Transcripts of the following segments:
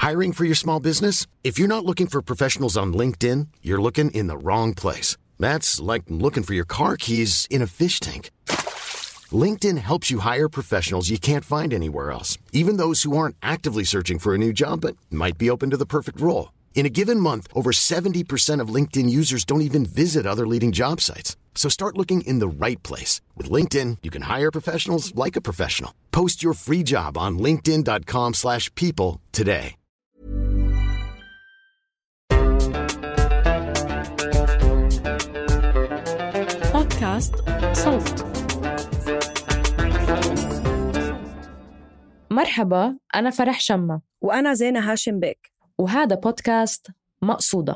Hiring for your small business? If you're not looking for professionals on LinkedIn, you're looking in the wrong place. That's like looking for your car keys in a fish tank. LinkedIn helps you hire professionals you can't find anywhere else, even those who aren't actively searching for a new job but might be open to the perfect role. In a given month, over 70% of LinkedIn users don't even visit other leading job sites. So start looking in the right place. With LinkedIn, you can hire professionals like a professional. Post your free job on linkedin.com/people today. بودكاست صوت. مرحبا، أنا فرح شمة وأنا زينة هاشم بيك، وهذا بودكاست مقصودة.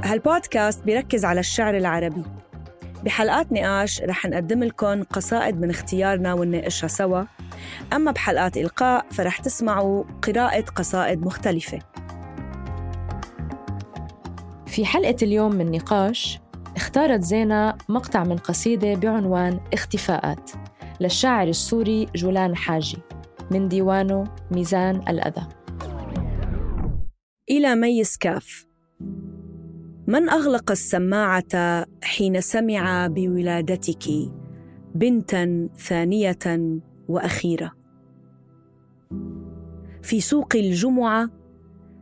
هالبودكاست بيركز على الشعر العربي. بحلقات نقاش رح نقدم لكم قصائد من اختيارنا ونناقشها سوا، أما بحلقات إلقاء فرح تسمعوا قراءة قصائد مختلفة. في حلقة اليوم من نقاش اختارت زينة مقطع من قصيدة بعنوان اختفاءات للشاعر السوري جولان حاجي من ديوانه ميزان الأذى. إلى ميس كاف. من أغلق السماعة حين سمع بولادتك بنتاً ثانية وأخيرة في سوق الجمعة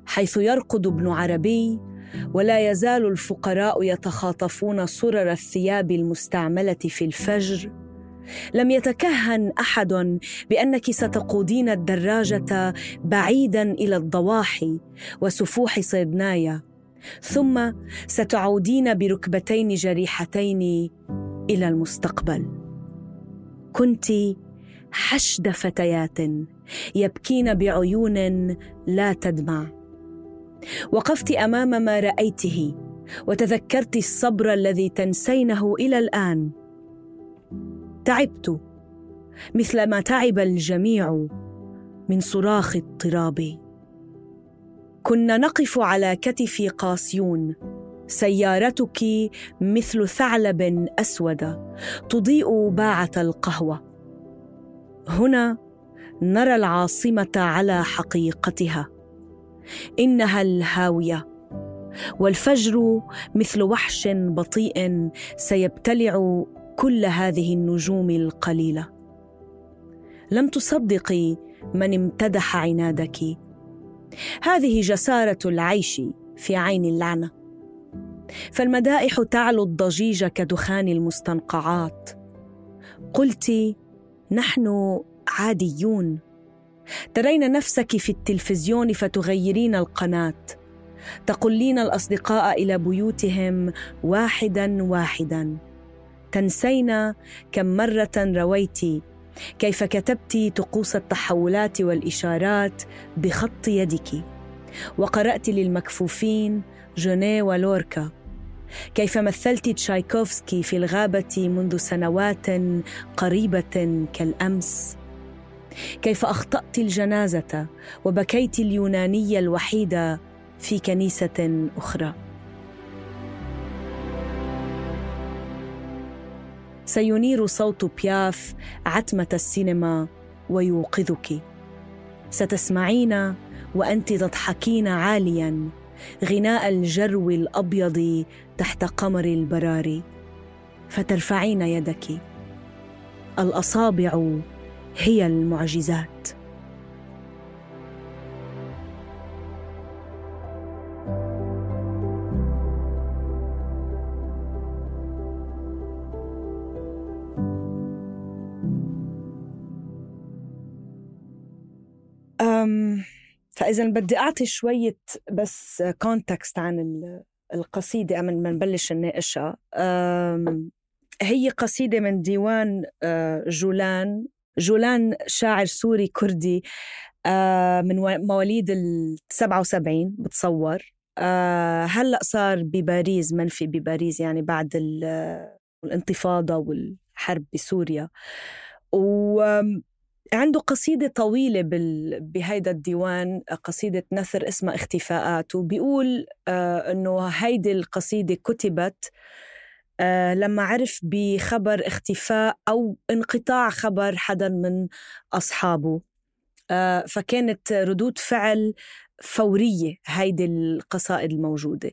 حيث يرقد ابن عربي ولا يزال الفقراء يتخاطفون صرر الثياب المستعملة في الفجر؟ لم يتكهن أحد بأنك ستقودين الدراجة بعيداً إلى الضواحي وسفوح صيدنايا، ثم ستعودين بركبتين جريحتين إلى المستقبل. كنت حشد فتيات يبكين بعيون لا تدمع. وقفت أمام ما رأيته وتذكرت الصبر الذي تنسينه إلى الآن. تعبت مثل ما تعب الجميع من صراخ اضطرابي. كنا نقف على كتف قاسيون، سيارتك مثل ثعلب أسود تضيء باعة القهوة. هنا نرى العاصمة على حقيقتها، إنها الهاوية، والفجر مثل وحش بطيء سيبتلع كل هذه النجوم القليلة. لم تصدقي من امتدح عنادك. هذه جسارة العيش في عين اللعنة، فالمدائح تعلو الضجيج كدخان المستنقعات. قلت نحن عاديون. ترين نفسك في التلفزيون فتغيرين القناة، تقلين الأصدقاء إلى بيوتهم واحداً واحداً. تنسين كم مرة رويت كيف كتبت طقوس التحولات والإشارات بخط يدك، وقرأت للمكفوفين جونيه ولوركا، كيف مثلت تشايكوفسكي في الغابة منذ سنوات قريبة كالأمس، كيف أخطأت الجنازة وبكيت اليونانية الوحيدة في كنيسة أخرى. سينير صوت بياف عتمة السينما ويوقظك. ستسمعين وأنت تضحكين عالياً غناء الجرو الأبيض تحت قمر البراري، فترفعين يدك. الأصابع هي المعجزات. فإذا بدي أعطي شوية بس كونتكست عن القصيدة قبل ما نبلش نناقشها. هي قصيدة من ديوان جولان شاعر سوري كردي من مواليد 77 بتصور. هلأ صار بباريس، منفي بباريس يعني بعد الانتفاضة والحرب بسوريا. عنده قصيدة طويلة بهيدا الديوان، قصيدة نثر اسمها اختفاءات، وبيقول إنه هيدي القصيدة كتبت لما عرف بخبر اختفاء أو انقطاع خبر حدا من أصحابه. فكانت ردود فعل فورية هيدي القصائد الموجودة.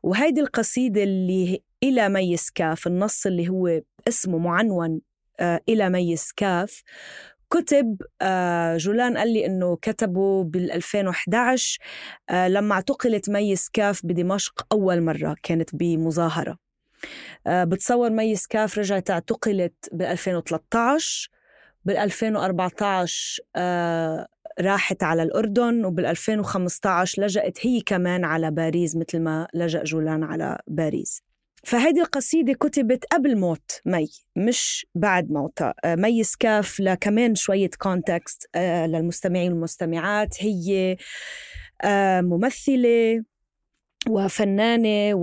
وهيدي القصيدة اللي إلى ميس كاف، النص اللي هو اسمه معنون إلى ميس كاف، كتب جولان قال لي إنه كتبه بال2011 لما اعتقلت ميس كاف بدمشق أول مرة، كانت بمظاهرة. بتصور ميس كاف رجعت اعتقلت بال2013، بال2014 راحت على الأردن، وبال2015 لجأت هي كمان على باريس مثل ما لجأ جولان على باريس. فهذه القصيدة كتبت قبل موت مي، مش بعد موتها. ميس كاف لكمان شوية كونتكست للمستمعين والمستمعات، هي ممثلة وفنانة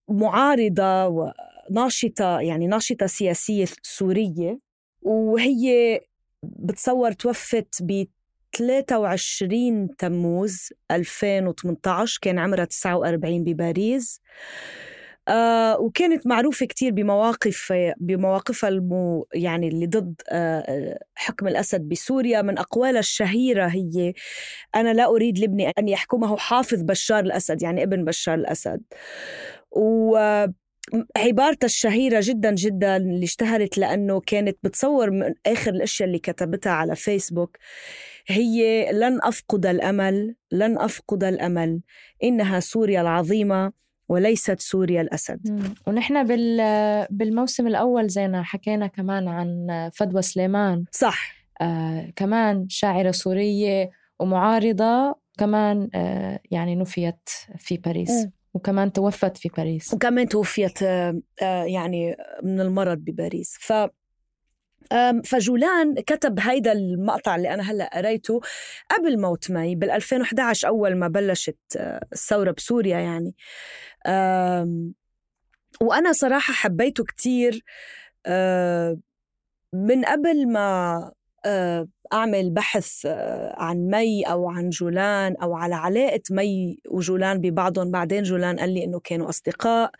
ومعارضة وناشطة، يعني ناشطة سياسية سورية. وهي بتصور توفت ب 23 تموز 2018، كان عمرها 49 بباريس. وكانت معروفة كتير بمواقفها يعني اللي ضد حكم الأسد بسوريا. من أقوالها الشهيرة هي: أنا لا أريد لابني أن يحكمه حافظ بشار الأسد، يعني ابن بشار الأسد. عبارتها الشهيرة جدا جدا اللي اشتهرت لأنه كانت بتصور من آخر الأشياء اللي كتبتها على فيسبوك هي: لن أفقد الأمل، لن أفقد الأمل، إنها سوريا العظيمة وليست سوريا الأسد. ونحن بالموسم الأول زينا حكينا كمان عن فدوى سليمان، صح، كمان شاعرة سورية ومعارضة، كمان يعني نفيت في باريس وكمان توفت في باريس، وكمان توفيت يعني من المرض بباريس. فجولان كتب هيدا المقطع اللي أنا هلأ قريته قبل موت مي بال2011 أول ما بلشت الثورة بسوريا يعني. وأنا صراحة حبيته كتير من قبل ما أعمل بحث عن مي أو عن جولان أو على علاقة مي وجولان ببعضهم. بعدين جولان قال لي إنه كانوا أصدقاء،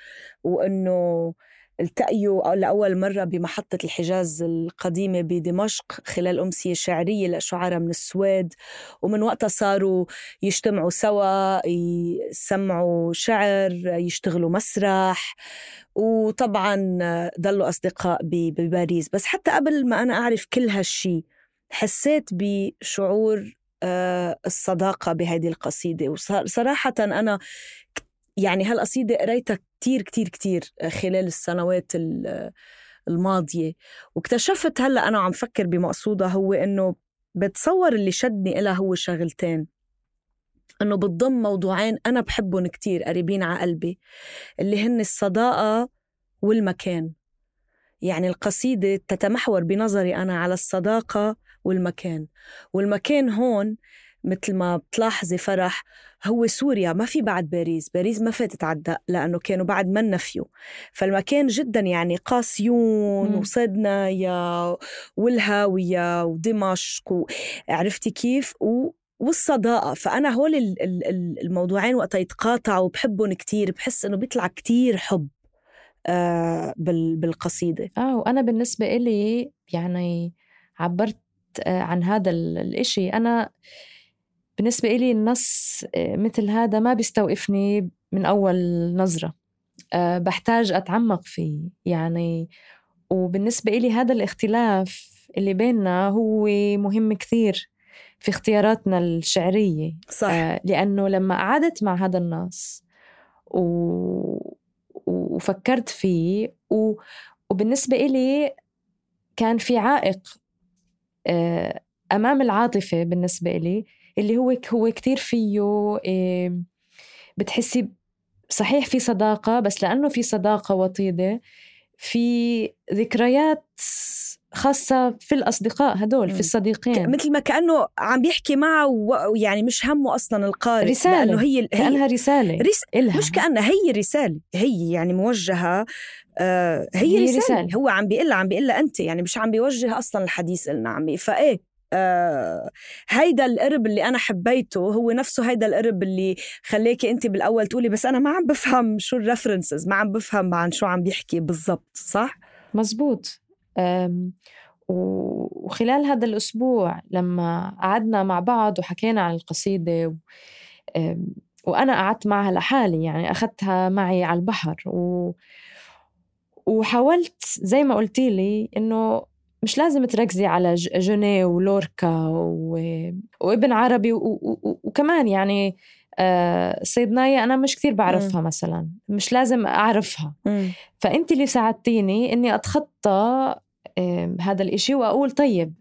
وإنه التقيوا لأول مرة بمحطة الحجاز القديمة بدمشق خلال أمسية شعرية لشعراء من السويد، ومن وقتها صاروا يجتمعوا سوا، يسمعوا شعر، يشتغلوا مسرح، وطبعا ضلوا أصدقاء بباريس. بس حتى قبل ما أنا أعرف كل هالشي حسيت بشعور الصداقة بهذه القصيدة. وصراحة أنا يعني هالقصيدة قريتها كتير كتير كتير خلال السنوات الماضية، واكتشفت هلأ أنا عم فكر بمقصودها هو إنه بتصور اللي شدني إلها هو شغلتين، إنه بتضم موضوعين أنا بحبهم كتير قريبين على قلبي، اللي هن الصداقة والمكان. يعني القصيدة تتمحور بنظري أنا على الصداقة والمكان. والمكان هون مثل ما بتلاحظي فرح هو سوريا، ما في بعد باريس. باريس ما فاتت عدى لأنه كانوا بعد ما نفيوا. فالمكان جدا يعني قاسيون وصدنايا والهاوية ودمشق، عرفتي كيف؟ والصداقة. فأنا هول الموضوعين وقت يتقاطعوا بحبهم كتير، بحس إنه بيطلع كتير حب بالقصيدة. وأنا بالنسبة إلي يعني عبرت عن هذا الإشي. أنا بالنسبة إلي النص مثل هذا ما بيستوقفني من أول نظرة، بحتاج أتعمق فيه يعني. وبالنسبة إلي هذا الاختلاف اللي بيننا هو مهم كثير في اختياراتنا الشعرية، صح. لأنه لما قعدت مع هذا النص وفكرت فيه وبالنسبة إلي كان في عائق أمام العاطفة بالنسبة إلي، اللي هو كتير فيه بتحسي صحيح في صداقة، بس لأنه في صداقة وطيدة، في ذكريات خاصة في الأصدقاء هدول، في الصديقين، مثل ما كأنه عم بيحكي معه ويعني مش همه أصلا القارئ، رسالة، لأنه هي كأنها رسالة مش كأنها هي رسالة، هي يعني موجهة. هي رسالة. هو عم بيقلها أنت، يعني مش عم بيوجه أصلا الحديث لنا، فإيه هيدا القرب اللي أنا حبيته هو نفسه هيدا القرب اللي خليكي أنت بالأول تقولي بس أنا ما عم بفهم شو الريفرنسز، ما عم بفهم عن شو عم بيحكي بالضبط. صح؟ مزبوط. وخلال هذا الأسبوع لما قعدنا مع بعض وحكينا عن القصيدة وأنا قعدت معها لحالي، يعني أخذتها معي على البحر وحاولت زي ما قلتي لي إنه مش لازم تركزي على جوني ولوركا وابن عربي وكمان يعني صيدناية أنا مش كثير بعرفها مثلا، مش لازم أعرفها. فأنت اللي ساعدتيني إني أتخطى هذا الإشي وأقول طيب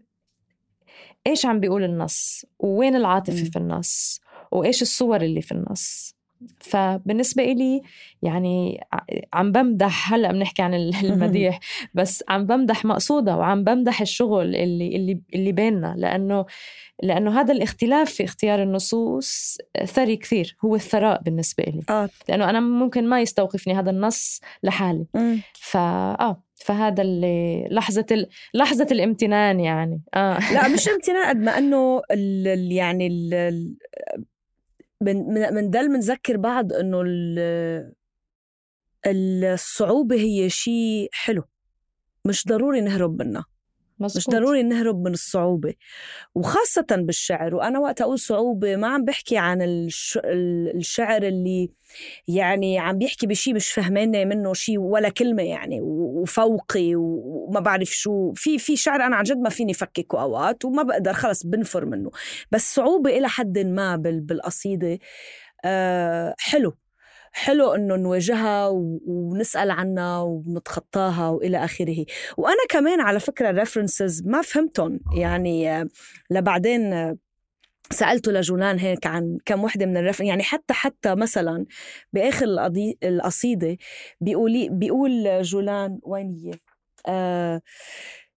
إيش عم بيقول النص، ووين العاطفة في النص، وإيش الصور اللي في النص. فبالنسبة إلي يعني عم بمدح، هلأ بنحكي عن المديح بس عم بمدح مقصودة، وعم بمدح الشغل اللي بيننا، لأنه هذا الاختلاف في اختيار النصوص ثري كثير، هو الثراء بالنسبة لي. لأنه أنا ممكن ما يستوقفني هذا النص لحالي. فهذا اللي لحظة الامتنان يعني. لا مش امتنان قد ما أنه يعني بنضل منذكر بعض أنه الصعوبة هي شيء حلو، مش ضروري نهرب منها. مزبوط. مش ضروري نهرب من الصعوبة، وخاصة بالشعر. وأنا وقت أقول صعوبة ما عم بحكي عن الشعر اللي يعني عم بيحكي بشي مش فهماني منه شي ولا كلمة يعني وفوقي وما بعرف شو. في شعر أنا عن جد ما فيني فككه أوقات وما بقدر خلص بنفر منه، بس صعوبة إلى حد ما بالقصيدة حلو إنه نواجهها ونسأل عنها ونتخطاها وإلى آخره. وأنا كمان على فكرة الريفرنسز ما فهمتهم يعني، لبعدين سألته لجولان هيك عن كم وحدة من الريفرنس يعني. حتى مثلا بآخر القصيدة بيقول جولان وين هي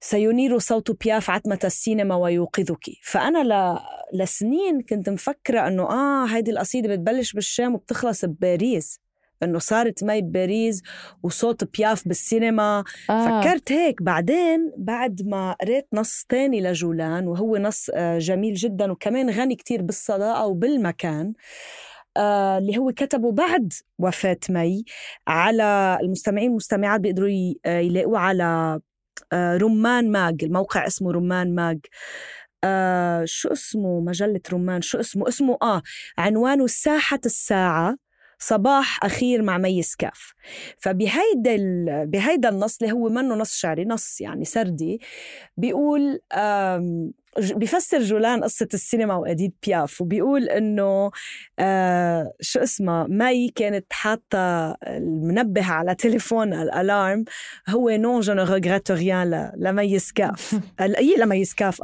سينير صوت بياف عتمة السينما ويوقظك. فأنا لسنين كنت مفكرة أنه هيدي القصيدة بتبلش بالشام وبتخلص بباريس، أنه صارت مي بباريس وصوت بياف بالسينما. فكرت هيك. بعدين بعد ما قريت نص تاني لجولان وهو نص جميل جدا وكمان غني كتير بالصداقة وبالمكان، اللي هو كتبه بعد وفاة مي، على المستمعين والمستمعات بيقدروا يلاقوه على رمان ماج، الموقع اسمه رمان ماج. شو اسمه مجلة رمان، شو اسمه عنوانه الساحة الساعة صباح أخير مع مي سكاف. بهيدا النص اللي هو منه نص شعري، نص يعني سردي، بيقول بيفسر جولان قصة السينما وأديت بياف، وبيقول إنه شو اسمه مي كانت حاطة المنبه على تليفون الألارم هو نون جو ne regrette rien لمي سكاف. لمي سكاف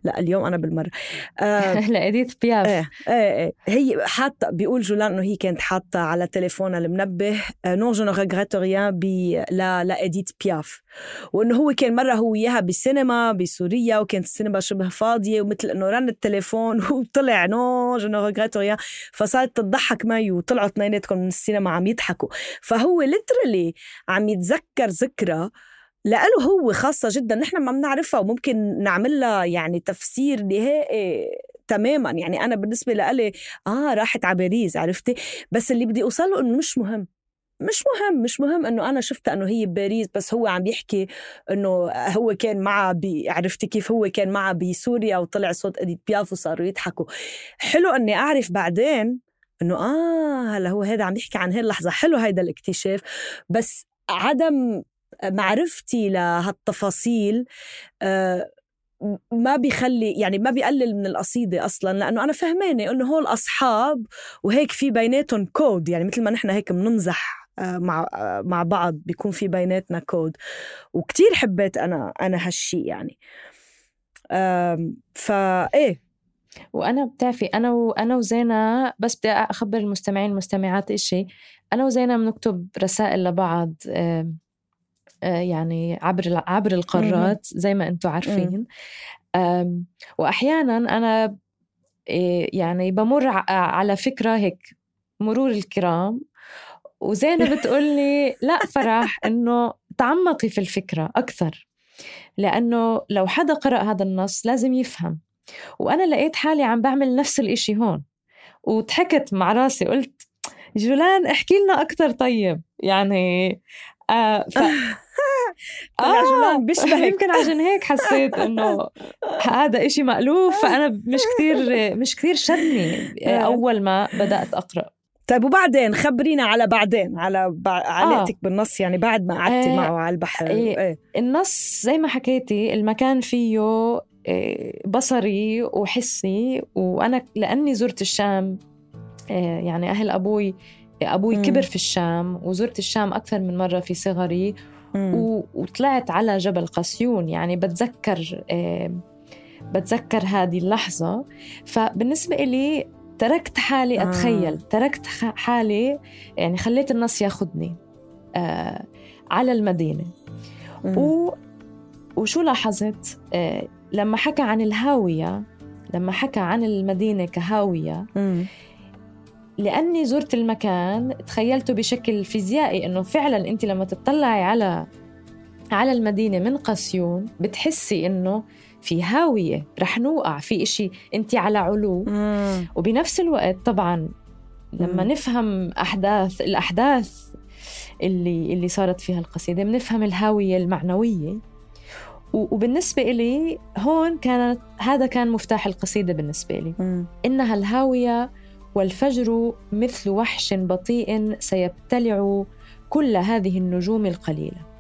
لا اليوم أنا بالمرة لأديت بياف. هي حاطة، بيقول جولان إنه هي كانت حاطة على تليفون المنبه نون جو ne regrette rien لأديت بياف، وإنه هو كان مرة هو إياها بالسينما بسوريا وكانت السينما شبه فاضية ومثل إنه رن التليفون وطلع نو جو نو ريغريت ريان، فصارت تضحك معي وطلعوا اثنيناتكم من السينما عم يضحكوا. فهو ليترالي عم يتذكر ذكرى لأله هو خاصة جدا نحن ما بنعرفها وممكن نعملها يعني تفسير نهائي تماما. يعني أنا بالنسبة لألي راحت على باريس عرفتي، بس اللي بدي أوصله إنه مش مهم إنه أنا شفت إنه هي بباريس، بس هو عم يحكي إنه هو كان معه عرفتي كيف هو كان معه بسوريا وطلع صوت أديت بياف وصاروا يضحكوا. حلو إني أعرف بعدين إنه هلا هو هذا عم يحكي عن هاي اللحظة. حلو هيدا الاكتشاف، بس عدم معرفتي لهالتفاصيل ما بيخلي يعني ما بيقلل من القصيدة أصلاً، لأنه أنا فهماني إنه هول أصحاب وهيك في بيناتهم كود، يعني مثل ما نحن هيك بنمزح مع بعض بيكون في بيناتنا كود. وكتير حبيت أنا هالشي يعني. فإيه، وأنا بتعرفي أنا وزينة، بس بدي أخبر المستمعين والمستمعات إشي، أنا وزينة بنكتب رسائل لبعض يعني عبر القارات زي ما أنتوا عارفين. وأحيانا أنا يعني بمر على فكرة هيك مرور الكرام، وزينة بتقولي لا فرح إنه تعمقي في الفكرة أكثر، لأنه لو حدا قرأ هذا النص لازم يفهم وأنا لقيت حالي عم بعمل نفس الإشي هون، وضحكت مع راسي قلت جولان احكي لنا أكتر. طيب يعني جولان بيشبهك. يمكن عشان هيك حسيت إنه هذا إشي مألوف، فأنا مش كتير شدني أول ما بدأت أقرأ. طيب وبعدين خبرينا على بعدين على علاقتك بالنص، يعني بعد ما قعدتي معه على البحر. النص زي ما حكيتي المكان فيه بصري وحسي، وأنا لأني زرت الشام، يعني أهل أبوي كبر في الشام، وزرت الشام أكثر من مرة في صغري، وطلعت على جبل قاسيون. يعني بتذكر هذه اللحظة. فبالنسبة إلي تركت حالي أتخيل، تركت حالي، يعني خليت النص ياخدني على المدينة. وشو لاحظت لما حكى عن الهاوية، لما حكى عن المدينة كهاوية، لأني زرت المكان تخيلته بشكل فيزيائي، إنه فعلا أنت لما تطلعي على المدينة من قاسيون بتحسي إنه في هاوية، رح نوقع في إشي، أنت على علو. وبنفس الوقت طبعا لما نفهم الأحداث اللي صارت فيها القصيدة، بنفهم الهاوية المعنوية. وبالنسبة إلي هون هذا كان مفتاح القصيدة بالنسبة لي. إنها الهاوية والفجر مثل وحش بطيء سيبتلع كل هذه النجوم القليلة.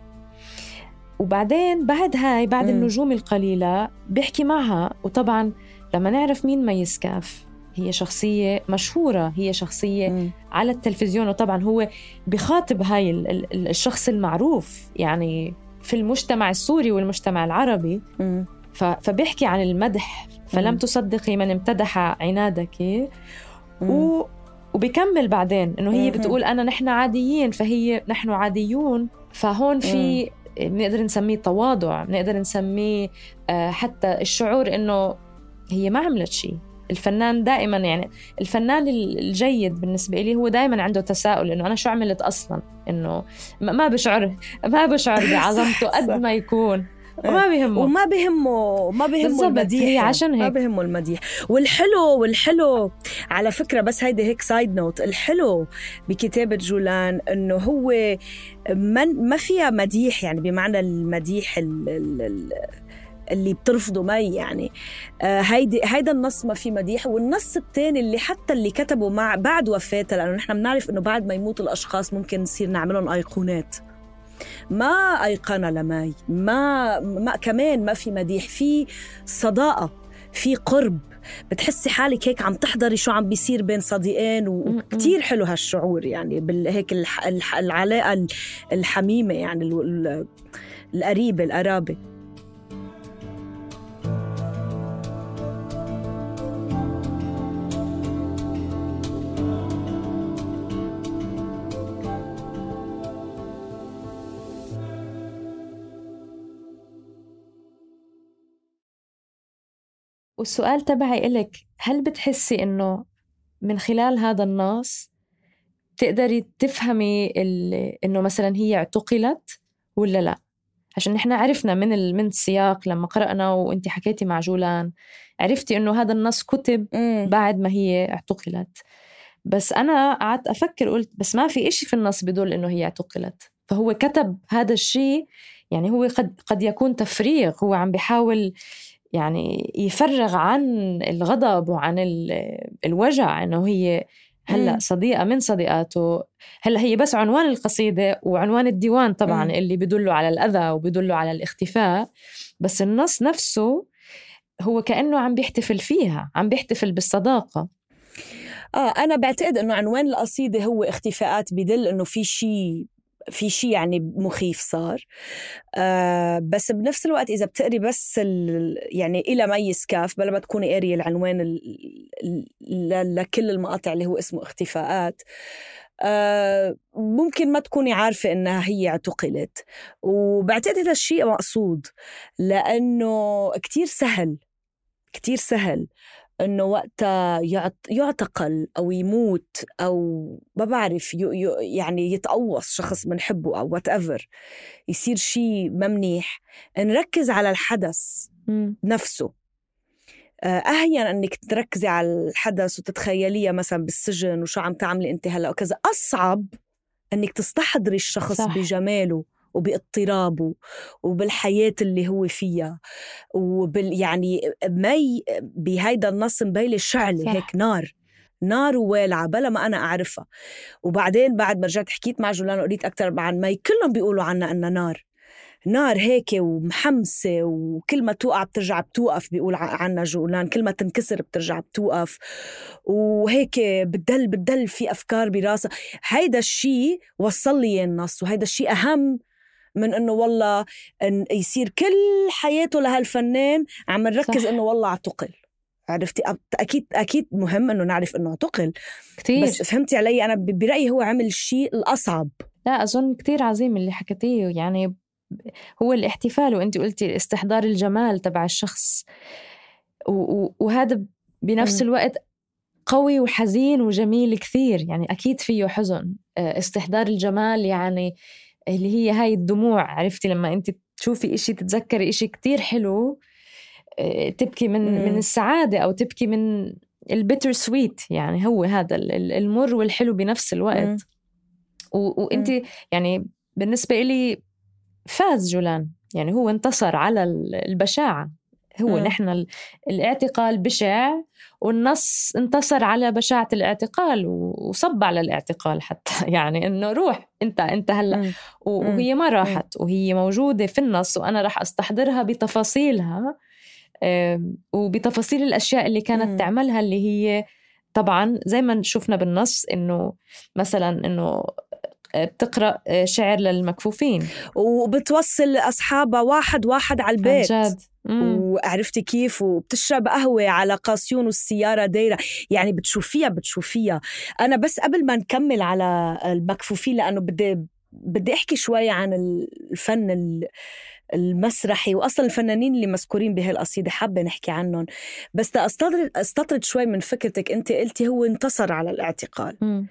وبعدين بعد النجوم القليلة بيحكي معها. وطبعا لما نعرف مين ميس كاف، هي شخصية مشهورة، هي شخصية على التلفزيون، وطبعا هو بخاطب هاي الشخص المعروف يعني في المجتمع السوري والمجتمع العربي. فبيحكي عن المدح، فلم تصدقي من امتدح عنادك. وبيكمل بعدين إنه هي بتقول نحن عاديين، فهي نحن عاديون. فهون في بنقدر نسميه تواضع، بنقدر نسميه حتى الشعور إنه هي ما عملت شيء. الفنان دائما، يعني الفنان الجيد بالنسبة لي هو دائما عنده تساؤل إنه أنا شو عملت أصلا، إنه ما بشعر بعظمته قد ما يكون، وما بيهمه المديح. هي عشان هيك ما بيهمه المديح. والحلو على فكرة، بس هيدا هيك سايد نوت، الحلو بكتابة جولان إنه هو ما فيها مديح، يعني بمعنى المديح اللي بترفضه مي، يعني هيدا النص ما في مديح. والنص الثاني اللي حتى اللي كتبه بعد وفاته، لأنه نحن بنعرف إنه بعد ما يموت الأشخاص ممكن نصير نعملهم أيقونات، ما أيقنة لماي، ما كمان ما في مديح، في صداقة، في قرب، بتحسي حالك هيك عم تحضري شو عم بيصير بين صديقين. وكتير حلو هالشعور، يعني هيك العلاقة الحميمة، يعني القرابة. والسؤال تبعي إلك، هل بتحسي إنه من خلال هذا النص تقدري تفهمي إنه مثلا هي اعتقلت ولا لا؟ عشان نحن عرفنا من السياق لما قرأنا وإنتي حكيتي مع جولان، عرفتي إنه هذا النص كتب بعد ما هي اعتقلت. بس أنا قعدت أفكر، قلت بس ما في إشي في النص بدل إنه هي اعتقلت، فهو كتب هذا الشيء. يعني هو قد يكون تفريغ، هو عم بيحاول يعني يفرغ عن الغضب وعن الوجع، إنه هي هلأ صديقة من صديقاته. هلأ هي بس عنوان القصيدة وعنوان الديوان طبعا اللي بيدلوا على الأذى وبيدلوا على الاختفاء، بس النص نفسه هو كأنه عم بيحتفل فيها، عم بيحتفل بالصداقة. أنا بعتقد إنه عنوان القصيدة هو اختفاءات، بدل إنه في شيء يعني مخيف صار. بس بنفس الوقت إذا بتقري بس يعني إلى ميس كاف بلا ما تكوني قارية العنوان لكل المقاطع اللي هو اسمه اختفاءات، ممكن ما تكوني عارفة إنها هي اعتقلت. وبعتقد هذا الشيء مقصود، لأنه كتير سهل إنه وقتها يعتقل أو يموت أو ما بعرف يعني يتقوص شخص منحبه أو whatever، يصير شيء ممنيح، نركز على الحدث نفسه. أهين أنك تركزي على الحدث وتتخيليها مثلا بالسجن وشو عم تعملي أنت هلأ وكذا. أصعب أنك تستحضري الشخص صح. بجماله وباضطرابه وبالحياة اللي هو فيها يعني مي بهيدا النص مبيلة شعلة هيك نار ووالعة بلا ما أنا أعرفها. وبعدين بعد ما رجعت حكيت مع جولان وقريت أكتر عن مي، كلهم بيقولوا عنها أنها نار هيك ومحمسة، وكل ما توقع بترجع بتوقف، بيقول عنها جولان كل ما تنكسر بترجع بتوقف، وهيك بتدل في أفكار براسها. هيدا الشيء وصل لي النص، وهيدا الشيء أهم من إنه والله إن يصير كل حياته لهالفنان عم نركز إنه والله اعتقل. عرفتي؟ أكيد مهم إنه نعرف إنه اعتقل كتير، بس فهمتي علي؟ أنا برأيي هو عمل الشيء الأصعب. لا أظن كتير عظيم اللي حكيتيه، يعني هو الاحتفال، وأنت قلتي استحضار الجمال تبع الشخص، وهذا بنفس الوقت قوي وحزين وجميل كثير. يعني أكيد فيه حزن. استحضار الجمال يعني اللي هي هاي الدموع، عرفتي؟ لما أنت تشوفي إشي تتذكري إشي كتير حلو تبكي من السعادة، أو تبكي من البيتر سويت. يعني هو هذا المر والحلو بنفس الوقت. وأنت يعني بالنسبة إلي فاز جولان، يعني هو انتصر على البشاعة. هو نحن الاعتقال بشع، والنص انتصر على بشاعة الاعتقال وصب على الاعتقال حتى. يعني إنه روح أنت هلأ، وهي ما راحت، وهي موجودة في النص، وأنا راح أستحضرها بتفاصيلها وبتفاصيل الأشياء اللي كانت تعملها، اللي هي طبعا زي ما شفنا بالنص إنه مثلا إنه بتقرأ شعر للمكفوفين وبتوصل أصحابها واحد على البيت. وعرفتي كيف؟ وبتشرب قهوة على قاسيون والسيارة دايرة. يعني بتشوفيها. أنا بس قبل ما نكمل على المكفوفين، لأنه بدي أحكي شوي عن الفن المسرحي، وأصلا الفنانين اللي مذكورين بهالقصيدة حابة نحكي عنهم. بس استطرد شوي من فكرتك. أنت قلتي هو انتصر على الاعتقال،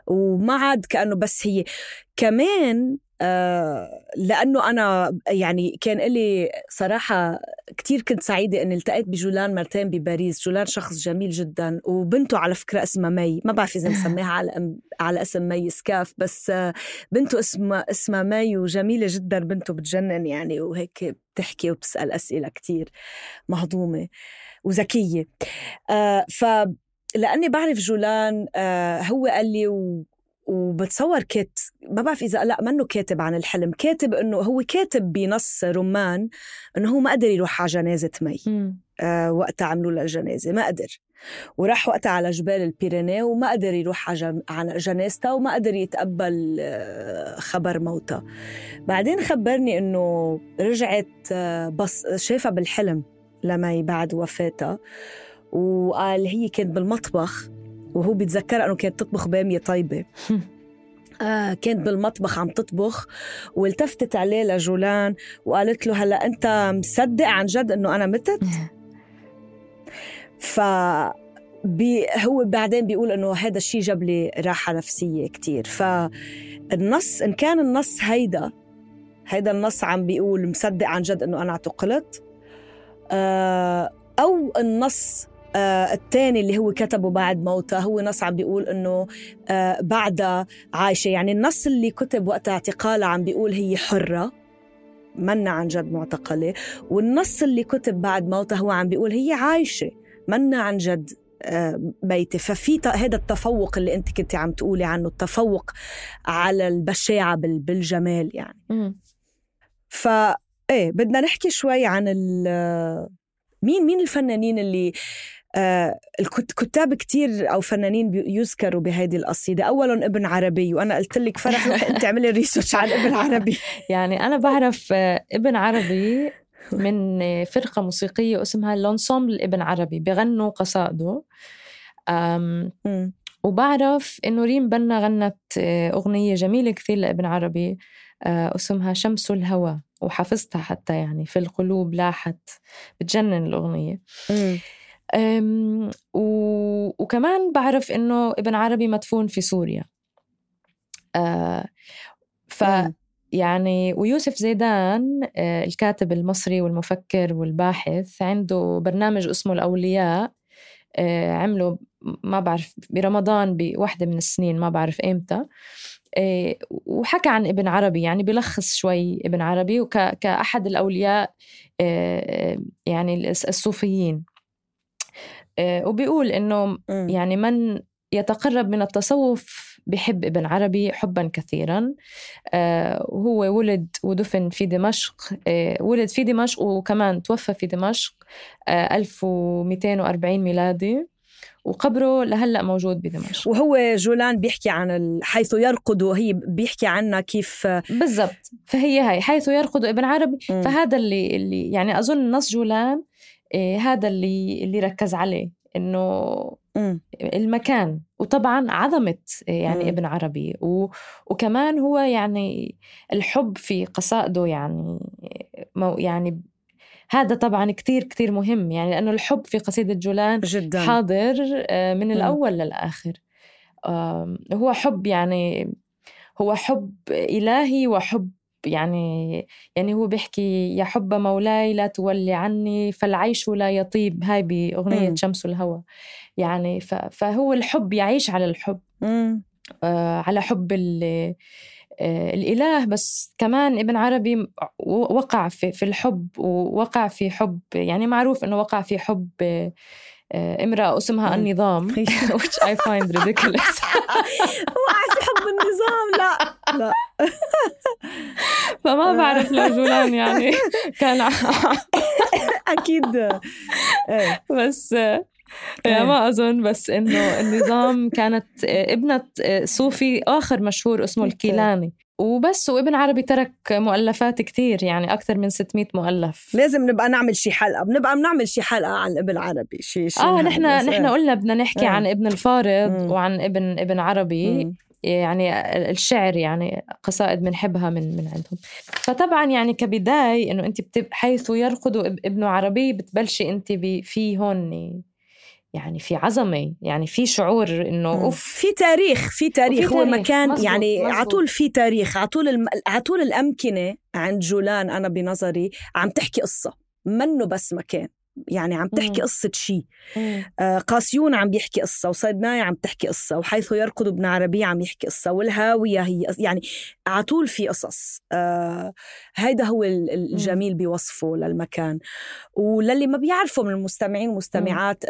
وما عاد كأنه بس هي كمان لأنه أنا يعني كان إلي صراحة كتير كنت سعيدة أن التقيت بجولان مرتين بباريس. جولان شخص جميل جدا، وبنته على فكرة اسمها مي، ما بعرف إذا نسميها على اسم مي سكاف، بس بنته اسمها مي، وجميلة جدا بنته، بتجنن يعني، وهيك بتحكي وبتسأل أسئلة كتير مهضومة وذكية. فلأني بعرف جولان هو قال لي وبتصور ما بعرف إذا لا منه كاتب عن الحلم، كاتب إنه هو كاتب بنص رمان إنه هو ما قدر يروح على جنازة مي. وقتها عملوا له الجنازة ما قدر، وراح وقتها على جبال البيرينيه وما قدر يروح على جنازتها، وما قدر يتقبل خبر موتها. بعدين خبرني إنه رجعت بس شافها بالحلم لمي بعد وفاتها، وقال هي كانت بالمطبخ، وهو بيتذكر أنه كانت تطبخ بامية طيبة. كانت بالمطبخ عم تطبخ، والتفتت عليه لجولان وقالت له هلأ أنت مصدق عن جد أنه أنا متت؟ هو بعدين بيقول أنه هذا الشيء جاب لي راحة نفسية كتير. فالنص إن كان النص هيدا النص عم بيقول مصدق عن جد أنه أنا اعتقلت، أو النص الثاني اللي هو كتبه بعد موته هو نص عم بيقول إنه بعدها عايشة. يعني النص اللي كتب وقت اعتقالها عم بيقول هي حرة منا عن جد معتقلة، والنص اللي كتب بعد موته هو عم بيقول هي عايشة منا عن جد ميتة. ففي هذا التفوق اللي أنت كنت عم تقولي عنه، التفوق على البشاعة بالجمال يعني. فإيه بدنا نحكي شوي عن مين الفنانين اللي الكتاب كتير أو فنانين يذكروا بهذه القصيدة. أولاً ابن عربي، وأنا قلت لك فرح أنت عملي ريسيرش عن ابن عربي. يعني أنا بعرف ابن عربي من فرقة موسيقية اسمها لونسومبل ابن عربي، بغنوا قصائده. وبعرف إنه ريم بنا غنت أغنية جميلة كثير لابن عربي اسمها شمس الهوى، وحفظتها حتى يعني في القلوب لاحت، بتجنن الأغنية. وكمان بعرف إنه ابن عربي مدفون في سوريا. يعني ويوسف زيدان الكاتب المصري والمفكر والباحث عنده برنامج اسمه الأولياء، عمله ما بعرف برمضان بواحدة من السنين ما بعرف إمتى، وحكى عن ابن عربي، يعني بلخص شوي ابن عربي كأحد الأولياء يعني الصوفيين، وبيقول إنه يعني من يتقرب من التصوف بحب ابن عربي حبا كثيرا. وهو ولد ودفن في دمشق، ولد في دمشق وكمان توفى في دمشق 1240 ميلادي، وقبره لهلأ موجود بدمشق. وهو جولان بيحكي عن حيث يرقد، وهي بيحكي عنها كيف بالضبط. فهي هاي حيث يرقد ابن عربي. فهذا اللي يعني أظن نص جولان هذا اللي ركز عليه، إنه المكان، وطبعا عظمة يعني ابن عربي، وكمان هو يعني الحب في قصائده، يعني هذا طبعا كتير كتير مهم، يعني لأنه الحب في قصيدة جولان جداً حاضر من الأول للآخر. هو حب، يعني هو حب إلهي وحب يعني هو بيحكي يا حب مولاي لا تولي عني فالعيش لا يطيب، هاي بأغنية شمس الهوى. يعني فهو الحب يعيش على الحب، على حب الإله. بس كمان ابن عربي وقع في الحب، ووقع في حب، يعني معروف أنه وقع في حب امرأة اسمها النظام which I find ridiculous. وقع في حب النظام؟ لا فما بعرف لو جولان يعني كان أكيد بس ما أظن، بس إنه النظام كانت ابنة صوفي آخر مشهور اسمه الكيلاني وبس. وابن عربي ترك مؤلفات كتير، يعني أكثر من 600 مؤلف. لازم نبقى نعمل شي حلقة، بنعمل شي حلقة عن ابن عربي. نحن قلنا بدنا نحكي عن ابن الفارض وعن ابن عربي. يعني الشعر، يعني قصائد بنحبها من عندهم. فطبعا يعني كبداية إنه أنت حيث يرقد ابن عربي بتبلشي أنت في هون يعني في عظمة، يعني في شعور إنه أوف، في تاريخ هو مكان مزبوط يعني مزبوط. عطول في تاريخ، عطول الأمكنة عند جولان أنا بنظري عم تحكي قصة، منه بس مكان، يعني عم تحكي قصة شيء. قاسيون عم بيحكي قصة، وصيدناي عم تحكي قصة، وحيث يرقد ابن عربي عم يحكي قصة، والهاوية هي يعني عطول في قصص. هيدا هو الجميل بوصفه للمكان. وللي ما بيعرفوا من المستمعين والمستمعات،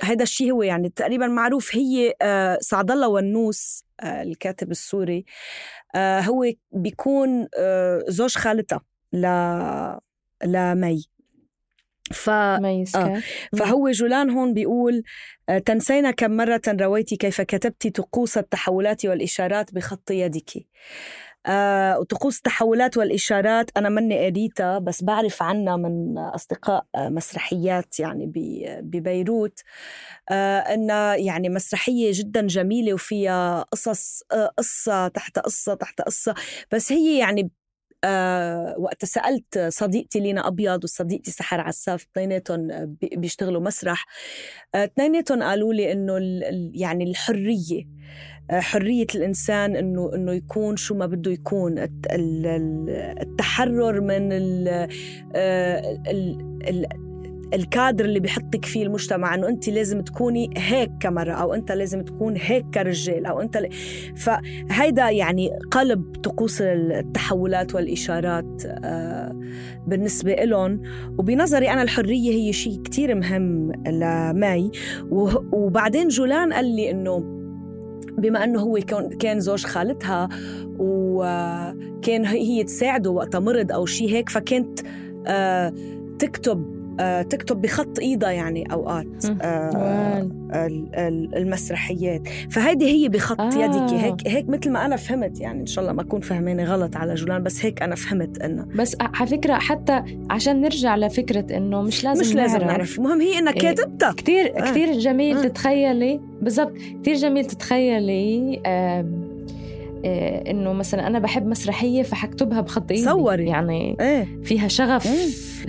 هيدا الشيء هو يعني تقريبا معروف. هي سعد الله ونوس الكاتب السوري، هو بيكون زوج خالتها لمي. فهو جولان هون بيقول تنسينا كم مرة رويتي كيف كتبت طقوس التحولات والإشارات بخط يدك. وطقوس التحولات والإشارات أنا مني قريتها، بس بعرف عنها من أصدقاء مسرحيات يعني ببيروت، إنها يعني مسرحية جدا جميلة وفيها قصة تحت قصة تحت قصة. بس هي يعني وقت سألت صديقتي لينا أبيض وصديقتي سحر عساف، اثنيناتهم بيشتغلوا مسرح، اثنيناتهم قالوا لي إنه يعني حرية الإنسان إنه يكون شو ما بده يكون، التحرر من الكادر اللي بيحطك فيه المجتمع، إنه أنت لازم تكوني هيك كمرأة، أو أنت لازم تكون هيك كرجال، أو أنت فهيدا يعني قلب طقوس التحولات والإشارات بالنسبة لهم. وبنظري أنا الحرية هي شيء كتير مهم لماي. وبعدين جولان قال لي إنه بما أنه هو كان زوج خالتها، وكان هي تساعده وقت مرض أو شيء هيك، فكانت تكتب بخط إيدها يعني أوقات المسرحيات. فهيدي هي بخط يدك، هيك مثل ما أنا فهمت، يعني إن شاء الله ما أكون فهماني غلط على جولان، بس هيك أنا فهمت إنه. بس على فكرة حتى عشان نرجع لفكرة إنه مش لازم نعرف، المهم هي إنك كاتبتها. كتير جميل تتخيلي بالضبط، كتير جميل تتخيلي إنه مثلا أنا بحب مسرحية فحكتبها بخط إيدي. صوري يعني فيها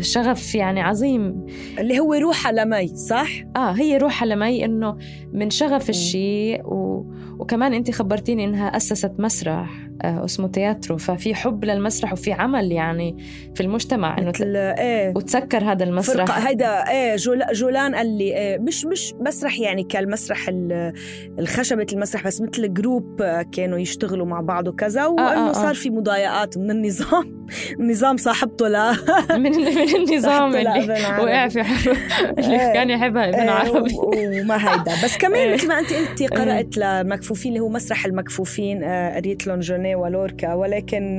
شغف يعني عظيم، اللي هو روحها لمي. صح؟ هي روحها لمي، إنه من شغف الشيء. وكمان أنت خبرتيني إنها أسست مسرح، اسمه تياترو، ففي حب للمسرح وفي عمل يعني في المجتمع إنه وتسكر هذا المسرح. هيدا جولان قال لي مش مسرح يعني كالمسرح الخشبة المسرح، بس مثل جروب كانوا يشتغلوا مع بعض وكذا، وإنه صار في مضايقات من النظام صاحبته من النظام اللي وقع في حرب اللي كان يحبها ابن عربي وما هيدا. بس كمان مثل ما أنت قلتي قرأت لمكفوفين اللي هو مسرح المكفوفين، قريت لون جوني ولوركا، ولكن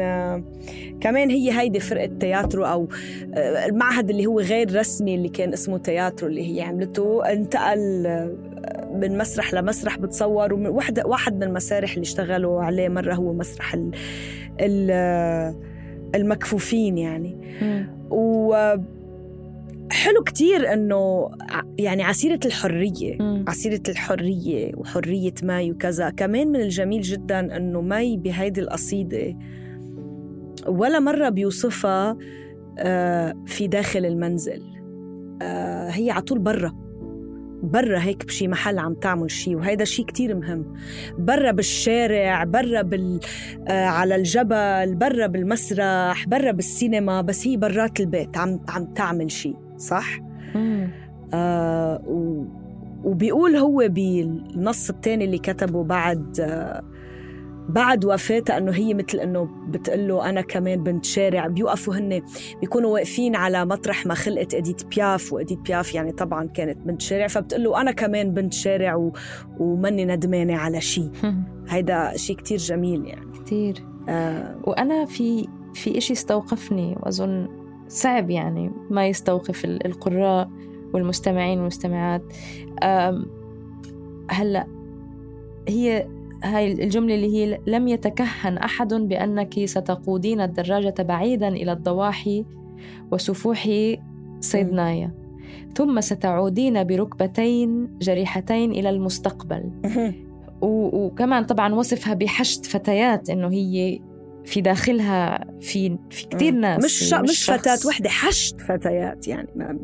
كمان هيدي فرقة تياترو أو المعهد اللي هو غير رسمي اللي كان اسمه تياترو اللي هي عملته، انتقل من مسرح لمسرح بتصور. واحد من المسارح اللي اشتغلوا عليه مرة هو مسرح المكفوفين يعني. وحلو كتير أنه يعني عسيرة الحرية وحرية ماي وكذا. كمان من الجميل جدا أنه ماي بهيدي القصيدة ولا مرة بيوصفها في داخل المنزل، هي عطول برا هيك بشي محل عم تعمل شي، وهيدا شي كتير مهم. برا بالشارع، برا على الجبل، برا بالمسرح، برا بالسينما، بس هي برات البيت عم تعمل شي صح. وبيقول هو بالنص التاني اللي كتبه بعد وفاتها أنه هي مثل أنه بتقله أنا كمان بنت شارع. بيوقفوا هن بيكونوا واقفين على مطرح ما خلقت إديت بياف، وإديت بياف يعني طبعا كانت بنت شارع، فبتقله أنا كمان بنت شارع ومني ندمانة على شيء. هيدا شيء كتير جميل يعني كتير. وأنا في إشي استوقفني وأظن صعب يعني ما يستوقف القراء والمستمعين والمستمعات. هلأ هاي الجملة اللي هي لم يتكهن أحد بأنك ستقودين الدراجة بعيدا إلى الضواحي وسفوح صيدنايا، ثم ستعودين بركبتين جريحتين إلى المستقبل. وكمان طبعا وصفها بحشد فتيات، إنه هي في داخلها في كتير ناس، مش فتاة وحدة، حشد فتيات يعني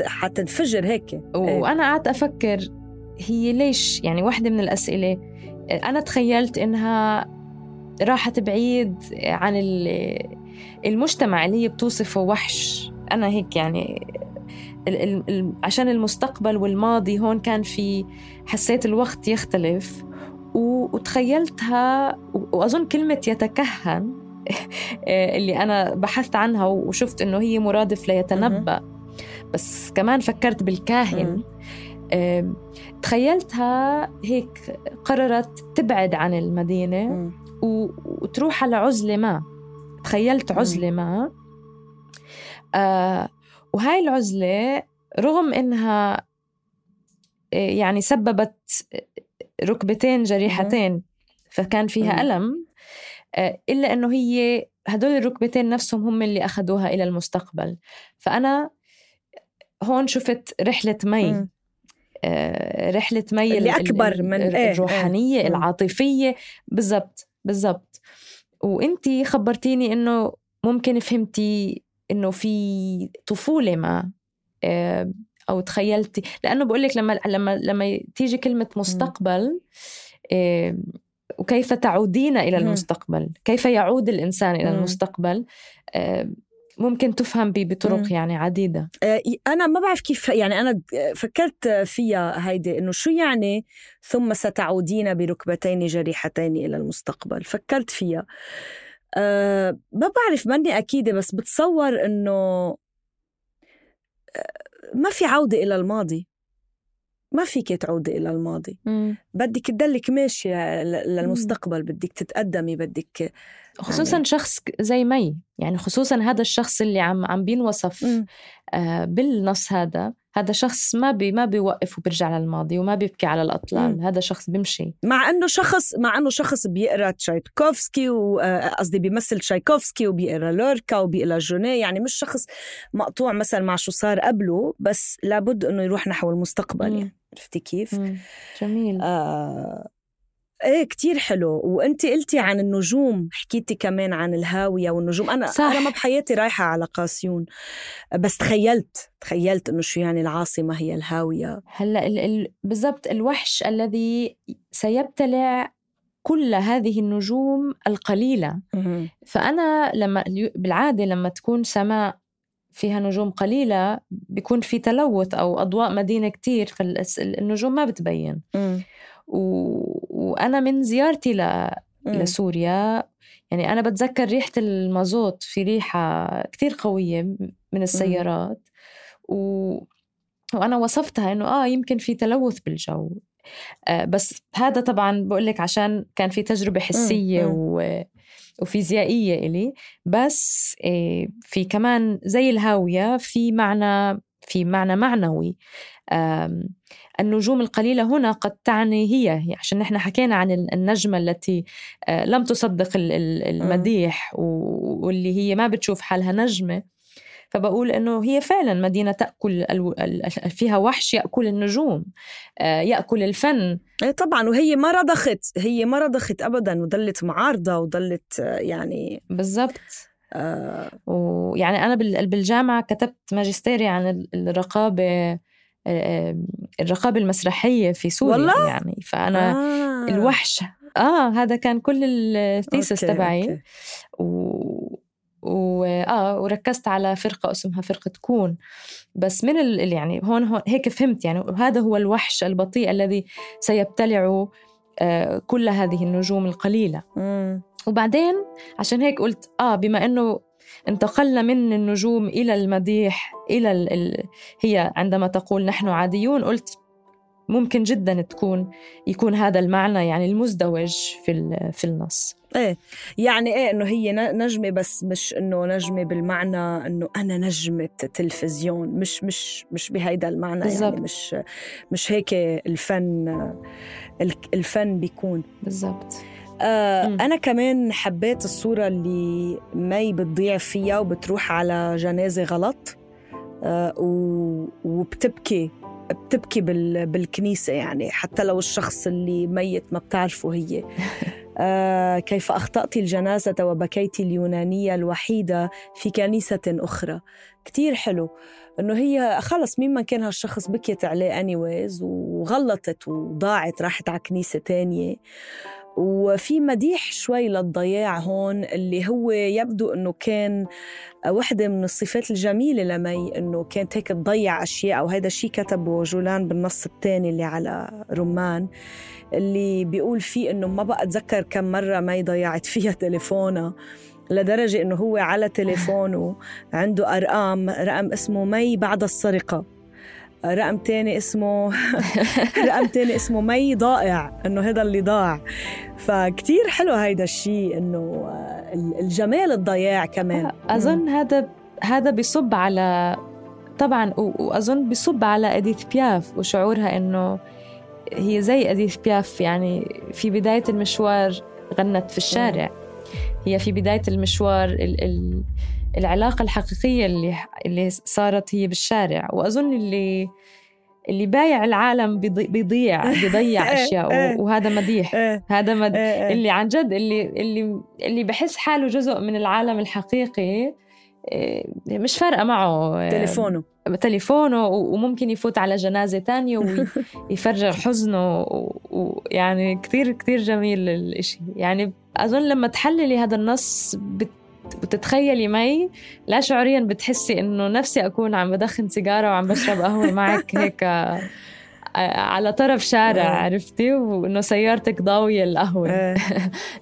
حتنفجر هيك. وأنا قعدت أفكر هي ليش يعني واحدة من الأسئلة أنا تخيلت إنها راحت بعيد عن المجتمع اللي هي بتوصفه وحش. أنا هيك يعني عشان المستقبل والماضي هون كان في حسيت الوقت يختلف، وتخيلتها. وأظن كلمة يتكهن اللي أنا بحثت عنها وشفت إنه هي مرادف ليتنبأ، بس كمان فكرت بالكاهن. تخيلتها هيك قررت تبعد عن المدينة وتروح على عزلة ما. تخيلت عزلة ما، وهاي العزلة رغم إنها يعني سببت ركبتين جريحتين فكان فيها ألم، إلا أنه هي هدول الركبتين نفسهم هم اللي أخذوها إلى المستقبل. فأنا هون شفت رحلة مي، رحلة مي اللي أكبر من الروحانية العاطفية. بالضبط. وإنتي خبرتيني إنه ممكن فهمتي إنه في طفولة ما أو تخيلتي، لأنه بقولك لما تيجي كلمة مستقبل وكيف تعودين إلى المستقبل، كيف يعود الإنسان إلى المستقبل، ممكن تفهم بطرق يعني عديدة. أنا ما بعرف كيف يعني أنا فكرت فيها هيدي إنه شو يعني ثم ستعودين بركبتين جريحتين إلى المستقبل. فكرت فيها ما بعرف ماني أكيدة، بس بتصور إنه ما في عودة إلى الماضي، ما فيك تعودي إلى الماضي. بدك تدلك ماشية للمستقبل، بدك تتقدمي، بدك خصوصا يعني شخص زي مي، يعني خصوصا هذا الشخص اللي عم بينوصف بالنص، هذا شخص ما بيوقف وبيرجع للماضي وما بيبكي على الأطلال. هذا شخص بيمشي، مع أنه شخص بيقرأ تشايكوفسكي وقصدي بيمثل تشايكوفسكي وبيقرأ لوركا وبيقرأ جوني، يعني مش شخص مقطوع مثلا مع شو صار قبله، بس لابد أنه يروح نحو المستقبل. يعني عرفتي كيف؟ جميل. ايه كتير حلو. وانتي قلتي عن النجوم، حكيتي كمان عن الهاوية والنجوم. أنا ما بحياتي رايحة على قاسيون، بس تخيلت إنه شو يعني العاصمة هي الهاوية. هلأ بالضبط الوحش الذي سيبتلع كل هذه النجوم القليلة. فأنا بالعادة لما تكون سماء فيها نجوم قليلة بيكون في تلوث أو أضواء مدينة كتير، فالنجوم ما بتبين. وأنا من زيارتي لسوريا يعني أنا بتذكر ريحة المازوت، في ريحة كتير قوية من السيارات وأنا وصفتها إنه يمكن في تلوث بالجو. بس هذا طبعا بقولك عشان كان في تجربة حسية وفيزيائية إلي. بس في كمان زي الهاوية في معنى معنوي. النجوم القليلة هنا قد تعني هي عشان نحن حكينا عن النجمة التي لم تصدق المديح واللي هي ما بتشوف حالها نجمة. فبقول إنه هي فعلا مدينة تأكل فيها وحش يأكل النجوم، يأكل الفن. طبعا. وهي ما رضخت أبدا، وضلت معارضة وضلت يعني بالضبط. ويعني أنا بالجامعة كتبت ماجستيري عن الرقابة المسرحية في سوريا والله؟ يعني فأنا الوحش هذا كان كل الثيسس تبعي. وركزت على فرقة اسمها فرقة كون. بس من يعني هون هيك فهمت يعني هذا هو الوحش البطيء الذي سيبتلع كل هذه النجوم القليلة. وبعدين عشان هيك قلت بما أنه انتقلنا من النجوم إلى المديح إلى هي عندما تقول نحن عاديون، قلت ممكن جدا يكون هذا المعنى يعني المزدوج في النص. يعني انه هي نجمة، بس مش انه نجمة بالمعنى انه انا نجمة تلفزيون، مش بهيدا المعنى بالزبط. يعني مش هيك الفن بيكون بالضبط. أنا كمان حبيت الصورة اللي مي بتضيع فيها وبتروح على جنازة غلط وبتبكي بالكنيسة، يعني حتى لو الشخص اللي ميت ما بتعرفه هي. كيف أخطأت الجنازة وبكيت اليونانية الوحيدة في كنيسة أخرى. كتير حلو إنه هي خلص مين ما كان هالشخص بكيت عليه anyways وغلطت وضاعت راحت على كنيسة تانية. وفي مديح شوي للضياع هون اللي هو يبدو أنه كان واحدة من الصفات الجميلة لمي، أنه كانت هيك تضيع أشياء. وهذا الشيء كتبه جولان بالنص الثاني اللي على رمان، اللي بيقول فيه أنه ما بقى أتذكر كم مرة مي ضيعت فيها تليفونها، لدرجة أنه هو على تليفونه عنده رقم اسمه مي بعد السرقة، رقم تاني اسمه مي ضائع، إنه هذا اللي ضاع. فكتير حلو هيدا الشيء، إنه الجمال الضياع كمان. أظن هذا بيصب على طبعا، وأظن بيصب على أديث بياف وشعورها إنه هي زي أديث بياف، يعني في بداية المشوار غنت في الشارع. هي في بداية المشوار العلاقة الحقيقية اللي صارت هي بالشارع. وأظن اللي بايع العالم بيضيع أشياء وهذا مديح. هذا اللي عن جد اللي بحس حاله جزء من العالم الحقيقي، مش فارقة معه تليفونه وممكن يفوت على جنازة تانية ويفرغ حزنه. ويعني كتير كتير جميل الاشي. يعني أظن لما تحللي هذا النص وتتخيلي مي لا شعوريا بتحسي إنه نفسي أكون عم بدخن سيجارة وعم بشرب قهوة معك هيك على طرف شارع، عرفتي، وإنه سيارتك ضاوية القهوة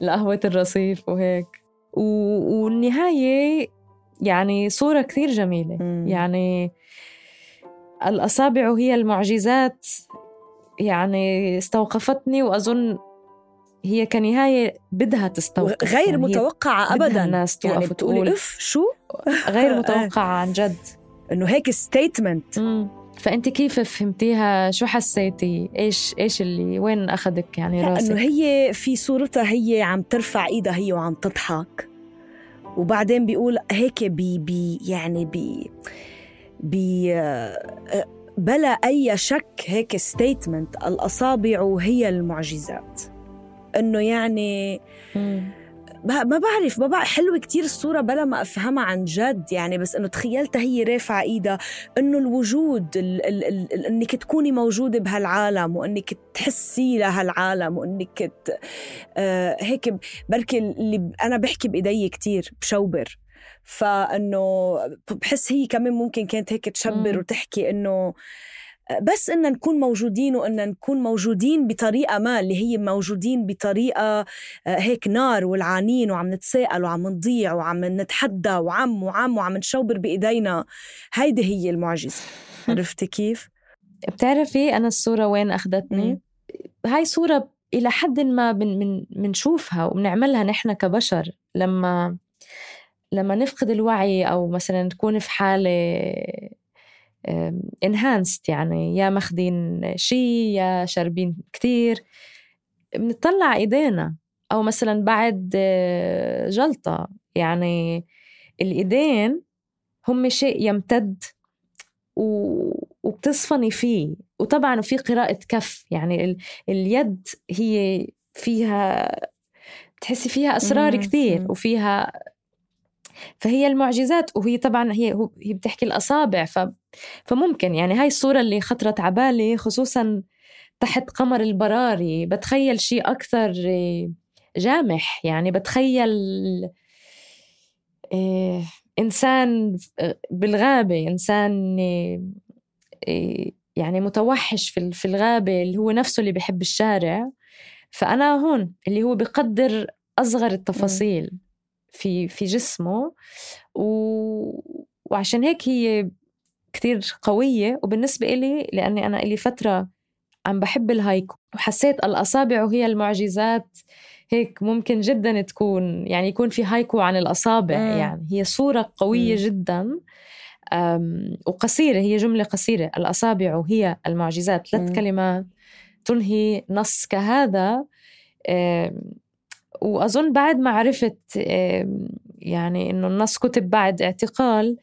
لقهوة الرصيف وهيك. والنهاية يعني صورة كثير جميلة. يعني الأصابع هي المعجزات، يعني استوقفتني. وأظن هي كنهاية بدها تستوقف، غير متوقعة أبداً. الناس يعني بتقولي شو غير متوقعة عن جد، إنه هيك ستيتمنت. فأنت كيف فهمتيها؟ شو حسيتي؟ إيش اللي وين أخذك يعني راسك؟ إنه هي في صورتها هي عم ترفع إيدها هي وعم تضحك، وبعدين بيقول هيك يعني بلا أي شك هيك ستيتمنت، الأصابع هي المعجزات. إنه يعني ما بعرف حلوة كتير الصورة بلا ما أفهمها عن جد يعني، بس إنه تخيلتها هي رافعة إيدها، إنه الوجود إنك تكوني موجودة بهالعالم وإنك تحسي لهالعالم وإنك هيك بركي اللي أنا بحكي بإيدي كتير بشوبر، فإنه بحس هي كمان ممكن كانت هيك تشبر وتحكي إنه بس إننا نكون موجودين، وإننا نكون موجودين بطريقة ما اللي هي موجودين بطريقة هيك نار والعانين وعم نتساءل وعم نضيع وعم نتحدى وعم نشوبر بإيدينا. هيدي هي المعجزة. عرفتي كيف؟ بتعرفي أنا الصورة وين أخذتني؟ هاي صورة إلى حد ما منشوفها وبنعملها نحن كبشر لما نفقد الوعي، أو مثلا نكون في حالة enhanced، يعني يا ماخدين شي يا شاربين كتير، بنطلع إيدينا، أو مثلا بعد جلطة، يعني الإيدين هم شيء يمتد وبتصفني فيه. وطبعا في قراءة كف، يعني اليد هي فيها بتحسي فيها أسرار كثير وفيها، فهي المعجزات. وهي طبعا هي بتحكي الأصابع، فممكن يعني هاي الصورة اللي خطرت عبالي خصوصا تحت قمر البراري، بتخيل شيء أكثر جامح، يعني بتخيل إنسان بالغابة، إنسان يعني متوحش في الغابة اللي هو نفسه اللي بيحب الشارع، فأنا هون اللي هو بيقدر أصغر التفاصيل في جسمه، وعشان هيك هي كتير قوية. وبالنسبة إلي لأني أنا إلي فترة عم بحب الهايكو، وحسيت الأصابع وهي المعجزات، هيك ممكن جدا تكون يعني يكون في هايكو عن الأصابع. يعني هي صورة قوية جدا وقصيرة، هي جملة قصيرة، الأصابع هي المعجزات، 3 كلمات تنهي نص كهذا. وأظن بعد ما عرفت يعني إنه النص كتب بعد اعتقال،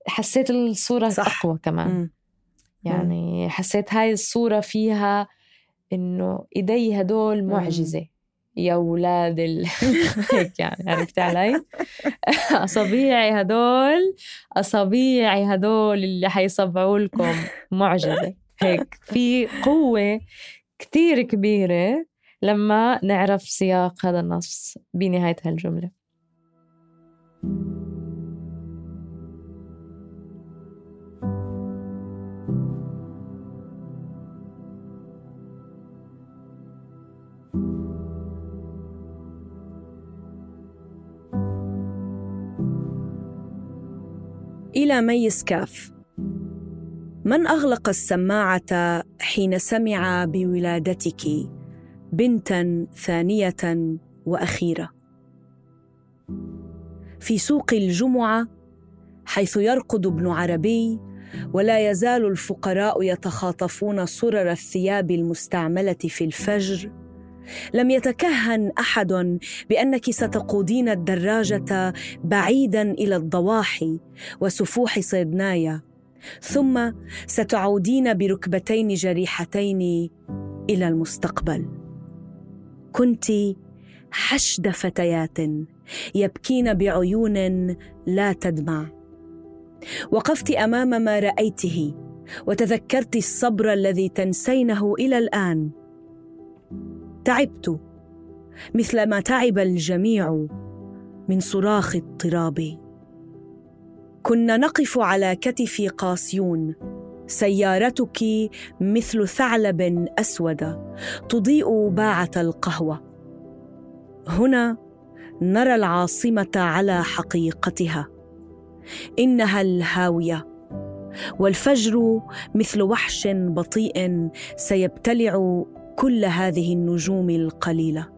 حسيت الصورة صح. أقوى كمان. يعني حسيت هاي الصورة فيها إنه إيدي هدول معجزة يا أولاد هيك يعني، عرفت علي؟ أصابيعي هدول اللي حيصبعوا لكم معجزة. هيك في قوة كتير كبيرة لما نعرف سياق هذا النص بنهاية هالجملة. إلى ميس كاف. من أغلق السماعة حين سمع بولادتك بنتاً ثانية وأخيرة؟ في سوق الجمعة حيث يرقد ابن عربي ولا يزال الفقراء يتخاطفون صرر الثياب المستعملة في الفجر، لم يتكهن أحد بأنك ستقودين الدراجة بعيداً إلى الضواحي وسفوح صيدنايا، ثم ستعودين بركبتين جريحتين إلى المستقبل. كنت حشد فتيات يبكين بعيون لا تدمع. وقفت أمام ما رأيته وتذكرت الصبر الذي تنسينه إلى الآن. تعبت مثل ما تعب الجميع من صراخ اضطراب. كنا نقف على كتف قاسيون، سيارتك مثل ثعلب أسود تضيء باعة القهوة. هنا نرى العاصمة على حقيقتها، إنها الهاوية، والفجر مثل وحش بطيء سيبتلع كل هذه النجوم القليلة.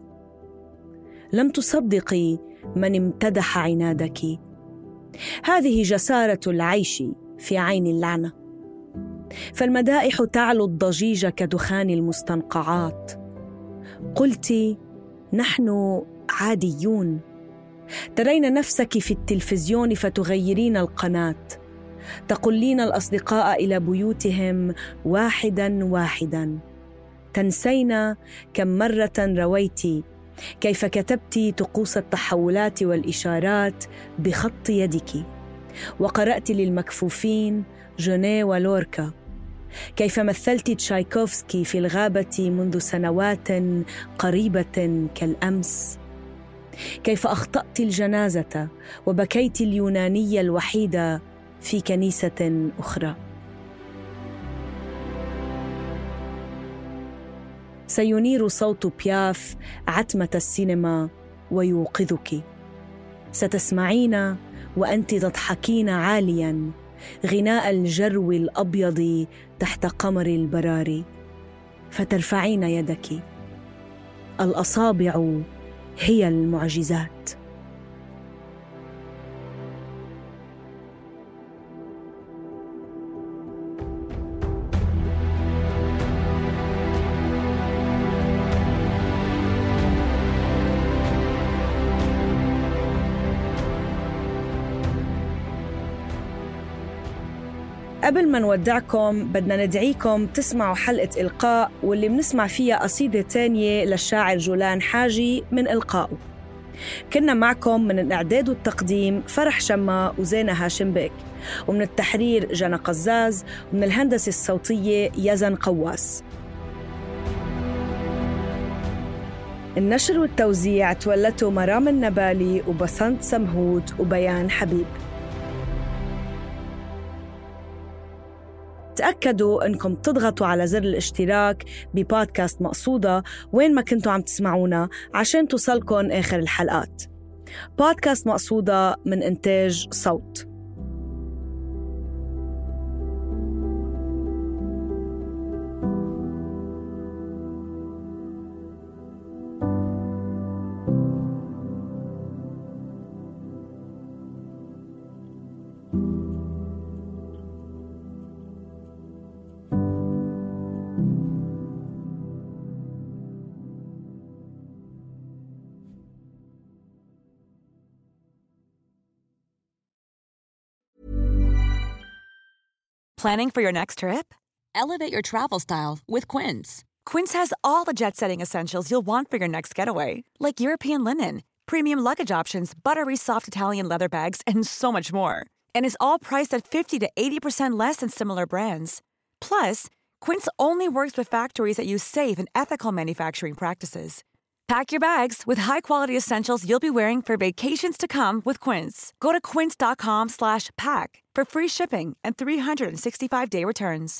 لم تصدقي من امتدح عنادك. هذه جسارة العيش في عين اللعنة، فالمدائح تعلو الضجيج كدخان المستنقعات. قلت نحن عاديون. ترين نفسك في التلفزيون فتغيرين القناة، تقلين الأصدقاء إلى بيوتهم واحداً واحداً، تنسين كم مرة رويت كيف كتبت طقوس التحولات والإشارات بخط يدك، وقرأت للمكفوفين جونيه ولوركا، كيف مثلت تشايكوفسكي في الغابة منذ سنوات قريبة كالأمس، كيف أخطأت الجنازة وبكيت اليونانية الوحيدة في كنيسة أخرى. سينير صوت بياف عتمة السينما ويوقظك. ستسمعين وأنت تضحكين عالياً غناء الجرو الأبيض تحت قمر البراري، فترفعين يدك. الأصابع هي المعجزات. قبل ما نودعكم بدنا ندعيكم تسمعوا حلقة إلقاء، واللي بنسمع فيها قصيدة تانية للشاعر جولان حاجي من إلقائه. كنا معكم من الإعداد والتقديم فرح شما وزينة هاشم بيك، ومن التحرير جنى قزاز، ومن الهندسة الصوتية يزن قواس. النشر والتوزيع تولته مرام النبالي وبسنت سمهود وبيان حبيب. تأكدوا أنكم تضغطوا على زر الاشتراك ببودكاست مقصودة وين ما كنتوا عم تسمعونا عشان توصلكن آخر الحلقات. بودكاست مقصودة من إنتاج صوت. Planning for your next trip? Elevate your travel style with Quince. Quince has all the jet-setting essentials you'll want for your next getaway, like European linen, premium luggage options, buttery soft Italian leather bags, and so much more. And is all priced at 50 to 80% less than similar brands. Plus, Quince only works with factories that use safe and ethical manufacturing practices. Pack your bags with high-quality essentials you'll be wearing for vacations to come with Quince. Go to quince.com/pack for free shipping and 365-day returns.